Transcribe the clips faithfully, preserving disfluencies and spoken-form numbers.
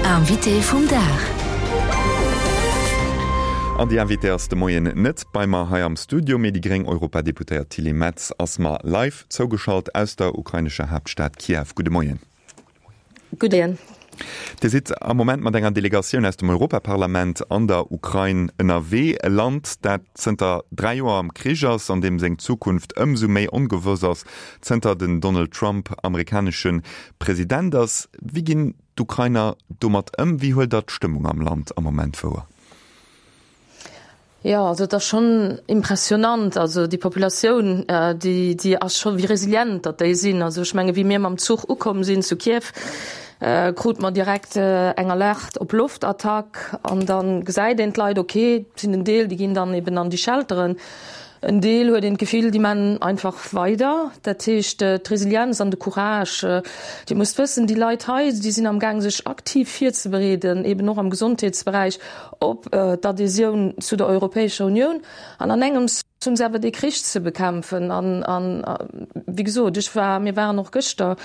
Invité vum Dag. An déi Invitée ass de Moien net bei mer hei am Studio, mee déi gréng Europadeputéiert Tilly Metz ass mer live zougeschalt aus der ukrainescher Haaptstad Kiew. Gudde Moien. Gudde. Dir sidd am Moment mat enger Delegatioun aus dem Europaparlament an der Ukrain ënnerwee, e Land, dat zënter dräi Joer am Krich ass, an deem seng Zukunft ëmsou méi ongewëss ass, zënter den Donald Trump amerikanesche President ass. Wéi ginn d'Ukrainer domat ëm? Wéi huelt Der d'Stëmmung am Land am Moment wouer? Jo, also et ass schonn impressionant, also déi Populatioun, déi, déi ass scho wéi resilient datt déi sinn. Also ech menge wéi mir mam Zuch ukomm sinn zu Kiew, krute mer direkt eng Alerte op Loftattack an da gesäit een d'Leit, ok, et sinn en Deel, déi ginn dann eben an déi Shelteren, en Deel huet een d'Gefill, déi man einfach weider. Dat heescht d'Resilienz an de Courage, Dir musst wëssen, déi Leit hei, déi sinn am gaang sech aktiv virzebereeden, eben och am Gesondheetsberäich, op d'Adhésioun zu der Europäescher Unioun an an engems hunn se awer dee Krich ze bekämpfen. An, an wéi gesot, ech war, mir waren och gëschter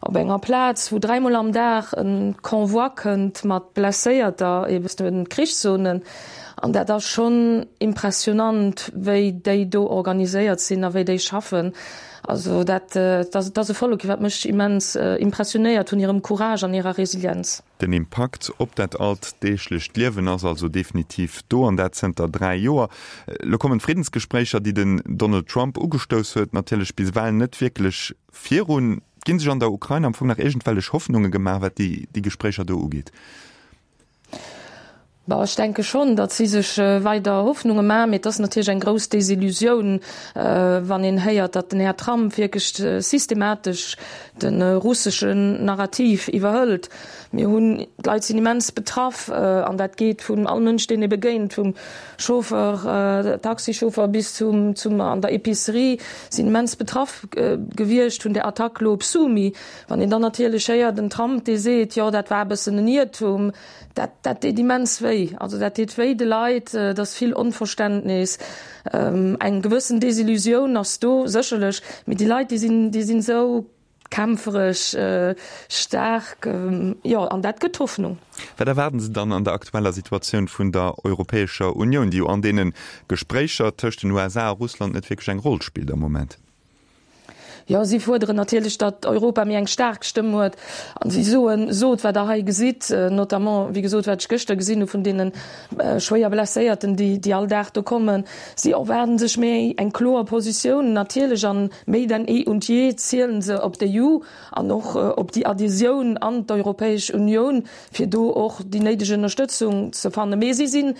op enger Plaz, wou dräimol am Dag e Convoi kënnt mat Blesséierter eben aus de Krichszonen. An dat ass schonn impressionant, wéi déi do organiséiert sinn a wéi déi schaffen. Also dat, dat ass e Vollek, wat mech immens impressionéiert vun hirem Courage an hirer Resilienz. Den Impakt op dat alldeeglecht Liewen ass also definitiv do, an dat zënter dräi Joer. Elo kommen d'Friddensgespréicher, déi den Donald Trump ugestouss huet, natierlech bis ewell net wierklech virun. Ginn sech an der Ukrain am Fong nach iergendwellech Hoffnunge gemaach, wat déi Gespréicher do ugeet? Bon, ech denke schonn, datt si sech weider Hoffnunge maachen, mee et ass natierlech eng grouss Desillusioun, wann een héiert, datt den Här Trump wierklech systematesch de russeschen Narrativ iwwerhëlt. Mir hunn, d'Leit sinn immens betraff, an dat geet vun all Mënsch, deen ee begéint, vum Chauffeur, Taxichauffeur bis zum, zum an der Epicerie, sinn immens betraff gewiescht vun där Attack elo op Sumy. Wann een dann natierlech héiert, den Trump, dee seet, jo dat war e bëssen en Iertum, Dat, dat deet immens wéi. Also dat deet wéi de Leit, et ass vill Onverständnis, eng gewëssen Desillusioun ass do sécherlech, mee déi Leit, déi sinn, déi sinn esou kämpferesch, staark, jo, an dat gëtt Hoffnung. Wat erwaarden se dann an der aktueller Situatioun vun der Europäescher Unioun, déi jo an deene Gespréicher tëscht den U S A a Russland net wierklech eng Roll spillt am Moment? Jo, si fuerderen natierlech, datt Europa méi eng staark Stëmm huet. A si soen, sot, wat Der hei gesitt, notamment, wéi gesot, wat ech gëschter gesinn hu vun deene schwéier Blesséierten, déi, déi all Dag do kommen. Si erwaarden sech méi eng kloer Positioun natierlech, an méi denn eh und je zielen se op d'E U an och op déi Adhésioun an d'Europäesch Unioun, fir do och déi néideg Ënnerstëtzung ze fannen. Mee si sinn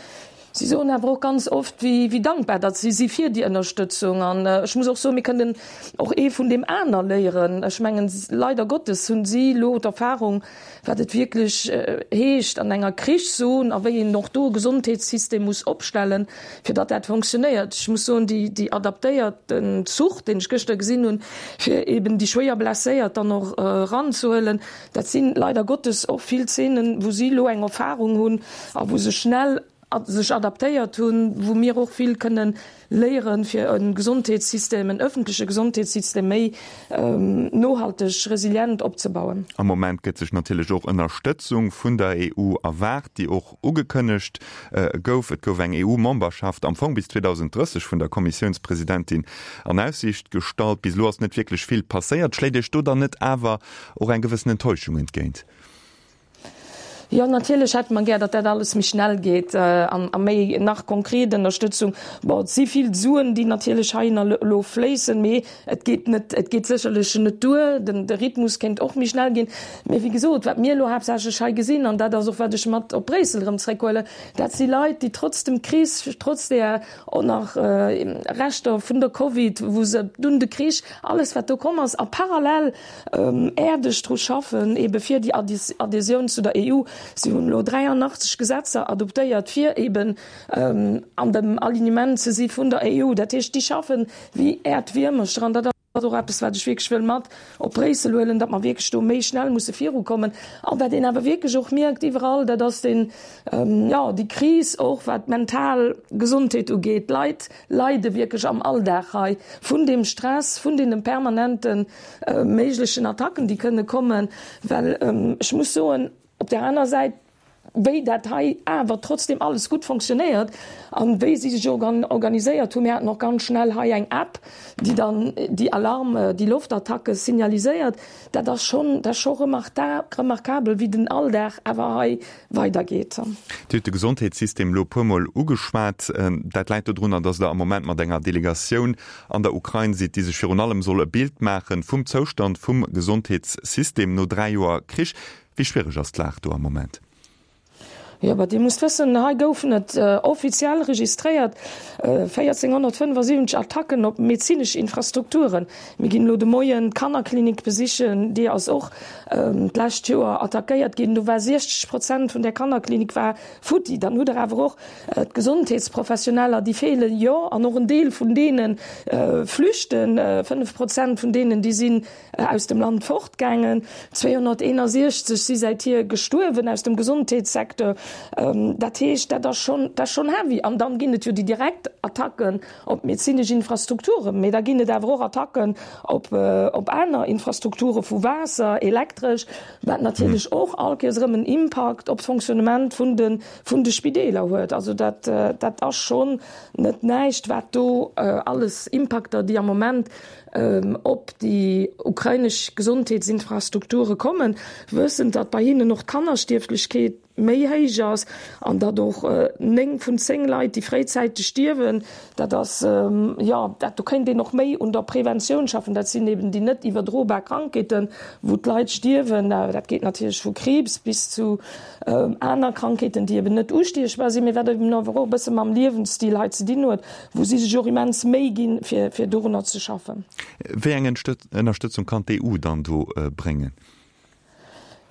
Si soen awer och ganz oft, wéi dankbar datt si si fir déi Ënnerstëtzung. An ech muss och soen, mir kënnen och ee vun deem aner léieren. Ech mengen, leider Gottes hunn si elo d'Erfahrung, wat et wierklech heescht an enger Krichszon a wéi een och do e Gesondheetssystem muss opstellen, fir datt dat fonctionnéiert. Ech muss soen, déi, déi adaptéierten Zuch, deen ech gëschter gesinn hunn, fir eben déi schwéier Blesséiert dann och eranzehuelen, dat sinn leider Gottes och vill Zeenen, wou si elo eng Erfahrung hunn a wou se schnell sech adaptéiert hunn, wou mir och vill kënnen léieren, fir e Gesondheetssystem, en öffentleche Gesondheetssystem méi nohalteg, resilient opzebauen. Am Moment gëtt sech natierlech och Ënnerstëtzung vun der E U erwaart, déi och ugekënnegt gouf. Et gouf eng E U-Memberschaft am Fong bis zweedausenddrësseg vun der Kommissiounspresidentin an Aussiicht gestallt. Bis elo ass net wierklech vill passéiert. Schléit Iech do dann net awer och eng gewëssen Enttäuschung entgéint? Jo, natierlech hätte mer gär, datt dat alles méi schnell geet an a méi nach konkret Ënnerstëtzung. Bon, et si vill Suen, déi natierlech heihinner elo fléissen, mee et geet net, et geet sécherlech net duer. Den, de Rhythmus kéint och méi schnell ginn. Mee wéi gesot, wat mir elo haaptsächlech hei gesinn, an dat ass och, wat ech mat op Bréissel erëm zréckhuelen, dat si Leit, déi trotz dem Krich, trotz där och nach Reschter vun der Covid, wou se dunn de Krich, alles wat do komm ass, a parallel äerdeg dru schaffen, ebe fir déi Adhésioun zu der E U. Si hunn elo dräianachtzeg Gesetzer adoptéiert, fir eben an dem Alignement ze si vun der E U. Dat heescht, déi schaffen wéi Äerdwiermercher an dat ass och eppes, wat ech wierklech wëll mat op Bréissel huelen, datt mer wierklech do méi schnell musse virukommen. An wat een awer wierklech och mierkt iwwerall, dat ass den, jo, déi Kris och wat d'mental Gesondheet ugeet. D'Leit leide wierklech am Alldag hei vun deem Stress, vun deene permanente méiglechen Attacken, déi kënne kommen. Well ech muss soen, op där aner Säit, wéi dat hei awer trotzdem alles gutt fonctionnéiert an wéi si sech organiséiert hunn. Mir haten och ganz schnell hei eng App, déi dann déi Alarm, déi Loftattacke signaliséiert. Dat ass schonn, dat ass scho remarkabel, wéi den Alldag awer hei weidergeet. Dir hutt de Gesondheetssystem elo e puermol ugeschwat. Dat läit dodrunner, datt Der am Moment mat enger Delegatioun an der Ukrain sidd, déi sech virun allem soll e Bild maache vum Zoustand vum Gesondheetssystem no dräi Joer Krich. Wéi schwiereg ass d'Lag do am Moment? Jo, ma Dir musst wëssen, hei goufen et offiziell registréiert véierzénghonnertfënnefasiwwenzeg Attacken op medezinesch Infrastrukturen. Mir ginn elo de Moien d'Kannerklinik besichen, déi ass och d'lescht Joer attackéiert ginn. Do war siechzeg Prozent vun där Kannerklinik war futti. Dann hutt Der awer och d'Gesondheetsprofessioneller, déi feelen, jo, an och en Deel vun deene flüchten. Fënnef Prozent vun deenen, déi sinn aus dem Land fortgaangen. zweehonnerteenasiechzeg si säithier gestuerwen aus dem Gesondheetssecteur. Dat heescht, dat ass schonn, dat ass schonn heavy. An dann ginn et jo déi direkt Attacken op medezinesch Infrastrukturen, mee da ginn et awer och Attacken op, op aner Infrastrukture vu Waasser, Elektresch, wat natierlech och all Kéiers erëm en Impakt op d'Fonctionnement vun de, vun de Spideeler huet. Also dat, dat ass schonn net näischt, wat do alles Impakter, déi am Moment op déi ukrainesch Gesondheetsinfrastrukture kommen, wëssend, datt bei hinnen och d'Kannerstierflechkeet méi héich ass an datt och néng vun zéng Leit, déi fréizäiteg stierwen, dat ass, jo, dat do kéint een och méi un der Preventioun schaffen. Dat sinn eben déi net iwwerdrobar Krankheeten, wou d'Leit stierwen. Dat geet natierlech vu Kriibs bis zu aner Krankheeten, déi eben net ustiechbar sinn, mee wat eben awer och e bësse mam Liewensstil hei ze dinn huet, wou si sech och immens Méi ginn, fir, fir dorunner ze schaffen. Wéi eng Ënnerstëtzung kann d'EU dann do bréngen?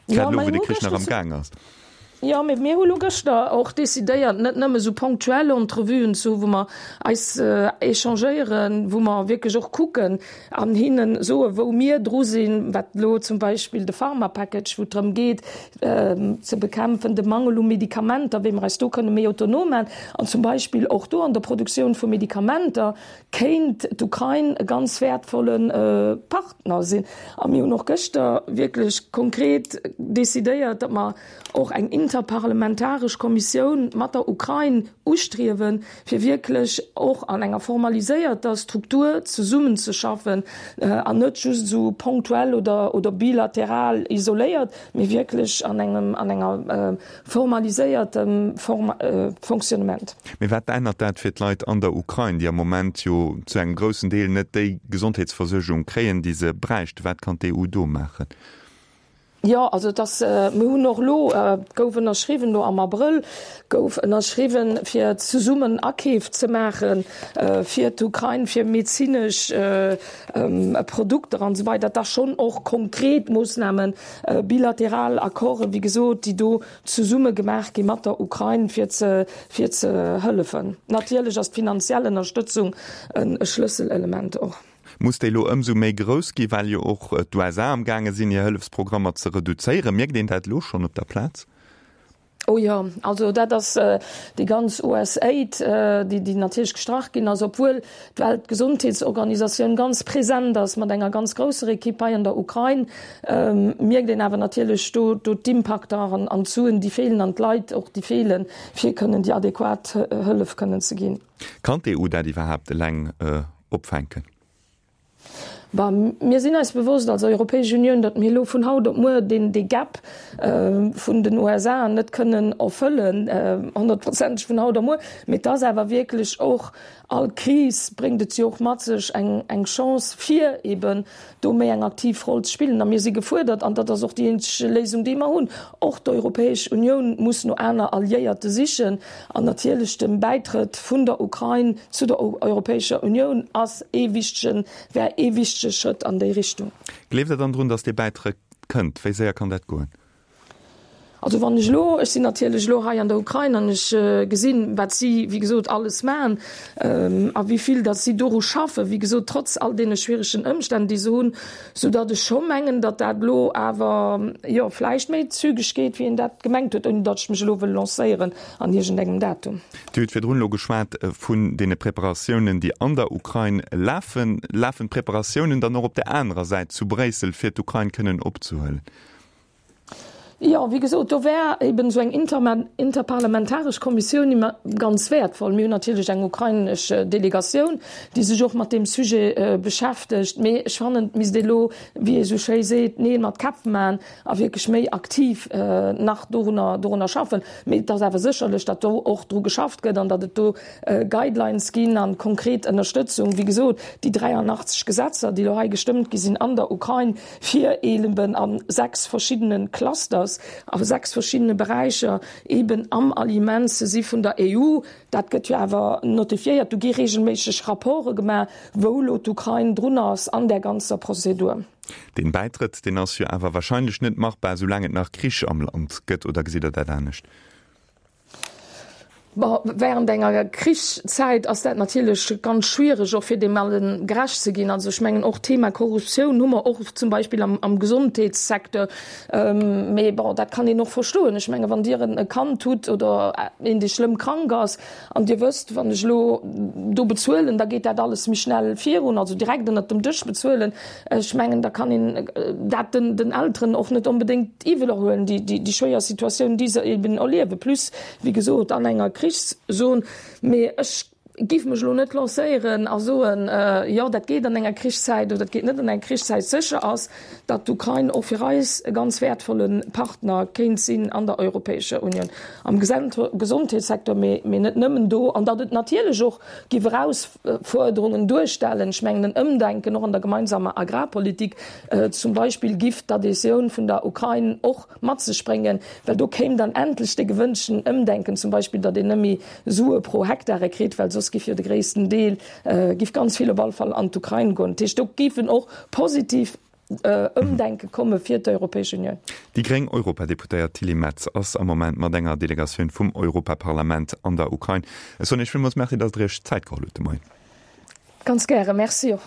Grad elo, wou de Krich nach am Gaang ass. Jo, mee mir hu lo gëschter och decidéiert, net nëmme esou ponctuell Entrevuen ze hu wou mer eis échangéieren, wou mer wierklech och kucken an hinne soe wou mir dru sinn, wat elo zum Beispill de Pharma-Package, wou et drëm geet ze bekämpfen, de Mangel u Medikamenter, wéi mer eis do kënne méi autonom maachen an zum Beispill och do an der Produktioun vu Medikamenter kéint d'Ukrain e ganz wäertvolle Partner sinn. A mir hunn och gëschter wierklech konkret decidéiert, datt mer och eng interparlamentaresch Kommissioun mat der Ukrain ustriewen, fir wierklech och an enger formaliséierter Struktur zesummenzeschaffen an net just esou ponktuell oder, oder bilateral isoléiert, mee wierklech an engem, an enger formaliséiertem Fonctionnement. Mee wat ännert dat fir d'Leit an der Ukrain, déi am Moment jo zu engem groussen Deel net déi Gesondheetsversuergung kréien, déi se bräichten? Wat kann d'EU do maachen? Jo, also et ass, mir hunn och elo, et gouf ënnerschriwwen elo am Abrëll, gouf ënnerschriwwen, fir zesummen Akeef ze maache fir d'Ukrain, fir medezinesch Produkter an esou weider. Dat ass schonn och konkret Moossnamen, bilateral Accorden, wéi gesot, déi do zesumme gemaach gi mat der Ukrain, fir ze, fir ze hëllefen. Natierlech ass d'finanziell Ënnerstëtzung e Schlësselelement och. Muss déi elo ëmsou méi grouss gi, well jo och d'USA am gaange sinn, hir Hëllefsprogrammer ze reduzéieren? Mierkt een dat elo schonn op der Plaz? Oh jo, also dat ass déi ganz USAID, déi, déi natierlech gestrach ginn ass, obwuel d'Weltgesondheetsorganisatioun ganz present ass mat enger ganz grousser Ekipp hei an der Ukrain, mierkt een awer natierlech do, do d'Impakter an, an d'Suen, déi feelen an d'Leit och, déi feelen, fir kënnen déi adequat Hëllef kënnen ze ginn. Kann d'EU dat iwwerhaapt eleng opfänken? Bon, mir sinn eis bewosst als Europäesch Unioun, datt mir elo vun haut op muer deen, dee Gap vun den USA net kënnen erfëllen, honnertprozenteg vun haut op muer. Mee et ass awer wierklech och, all Kris bréngt et jo och mat sech eng, eng Chance, fir eeben do méi eng aktiv Roll ze spillen. A mir si gefuerdert, an dat ass och déi eenzeg Léisung, déi mer hunn, och d'Europäesch Unioun muss no aner Alliéierte sichen. An natierlech de Bäitrëtt vun der Ukrain zu der Europäescher Unioun ass ee wichtegen, wär ee wichtege Schrëtt an déi Richtung. Gleeft Der dann drun, datt dee Bäitrëtt kënnt? Wéi séier kann dat goen? Also wann ech elo, ech sinn natierlech elo hei an der Ukrain an ech gesinn, wat si, wéi gesot, alles maachen a wéi vill datt si doru schaffen, wéi gesot, trotz all deene schwieregen Ëmstänn, déi se hunn, soudatt ech scho mengen, datt dat elo awer, jo, vläicht méi zügeg geet, wéi een dat gemengt huet, ouni datt ech mech elo wëll lancéieren an iergendengem Datum. Dir hutt virdrun elo geschwat vun deene Preparatiounen, déi an der Ukrain lafen. Lafen d'Preparatiounen dann och op där anerer Säit zu Bréissel, fir d'Ukrain kënnen opzehuelen? Jo, wéi gesot, do wär eben esou eng interparlamentaresch Kommissioun immer ganz wäertvoll. Mir hunn natierlech eng ukrainesch Delegatioun, déi sech och mat deem Sujet beschäftegt. Mee ech fannen, et misst ee elo, wéi ee sou schéi seet, Neel mat Käpp maachen a wierklech méi aktiv nach dorunner, dorunner schaffen. Mee et ass awer sécherlech, datt do och dru geschafft gëtt an datt et do Guidelines ginn a konkret Ënnerstëtzung. Wéi gesot, déi dräianachtzeg Gesetzer, déi elo hei gestëmmt gi sinn an der Ukrain, fir eben a sechs verschiddene Clusters, a sechs verschiddene Beräicher eben am Aliment ze si vun der E U. Dat gëtt jo awer notifiéiert, do gi regelméisseg Rapporte gemaach, wou elo d'Ukrain drun ass an där ganzer Prozedur. Deen Bäitrëtt, deen ass jo awer wahrscheinlech net machbar, soulaang et nach Krich am Land gëtt, oder gesitt Der dat anescht? Bon, während enger Krichszäit ass dat natierlech ganz schwiereg, och fir deem allen gerecht ze ginn. Also ech mengen och d'Thema Korruptioun hu mer och zum Beispill am, am Gesondheetssecteur. Mee bon, dat kann een och verstoen. Ech menge wann Dir e Kand hutt oder een, dee schlëmm krank ass an Dir wësst, wann ech elo do bezuelen, da geet dat alles méi schnell virun, also direkt ënnert dem Dësch bezuelen, ech mengen, da kann een dat den, den Elteren och net onbedéngt iwwel huelen, déi, déi, déi schwéier Situatioun, déi se eben erliewen. Plus, wéi gesot, an enger Krichszon. Mee ech géif mech elo net lancéieren a soen, jo, dat geet an enger Krichszäit oder dat geet net an enger Krichszäit. Sécher ass, datt d'Ukrain och fir eis e ganz wäertvolle Partner kéint sinn an der Europäescher Unioun am Gesondheetssecteur, mee net nëmmen do, an datt et natierlech och géif Erausfuerderungen duerstellen. Ech mengen, en Ëmdenken och an der gemeinsamer Agrarpolitik zum Beispill giff d'Adhésioun vun der Ukrain och mat sech bréngen, well do kéim dann endlech dee gewënschten Ëmdenken, zum Beispill datt een net méi Sue pro Hektare kritt, well soss giff jo de gréissten Deel, giff ganz vill op alle Fall an d'Ukrain goen. Dat heescht, do géifen och positiv Ëmdenke komme fir d'Europäesch Unioun. Déi gréng Europadeputéiert Tilly Metz ass am Moment mat enger Delegatioun vum Europaparlament an der Ukrain. Ech soen Iech villmools Merci, datt Der Iech Zäit geholl hutt de Moien. Ganz gären. Merci och.